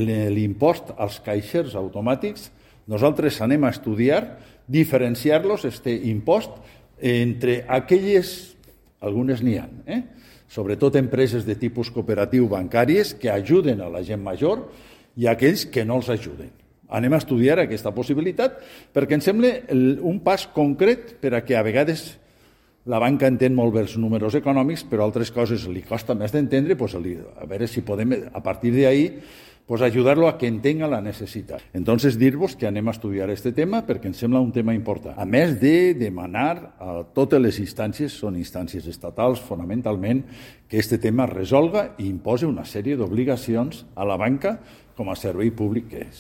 l'impost als caixers automàtics, nosaltres anem a estudiar, diferenciar-los, impost, entre aquelles, algunes n'hi ha, sobretot empreses de tipus cooperatiu bancàries que ajuden a la gent major i aquells que no els ajuden. Anem a estudiar aquesta possibilitat perquè em sembla un pas concret per a que a vegades la banca entén molt bé els números econòmics, però altres coses li costa més d'entendre, a veure si podem, a partir d'ahí, ayudarlo a que entenga la necessitat. Entonces, dir-vos que anem a estudiar aquest tema perquè em sembla un tema important. A més de demanar a totes les instàncies, són instàncies estatals fonamentalment, que aquest tema es resolga i imposi una sèrie d'obligacions a la banca com a servei públic que és.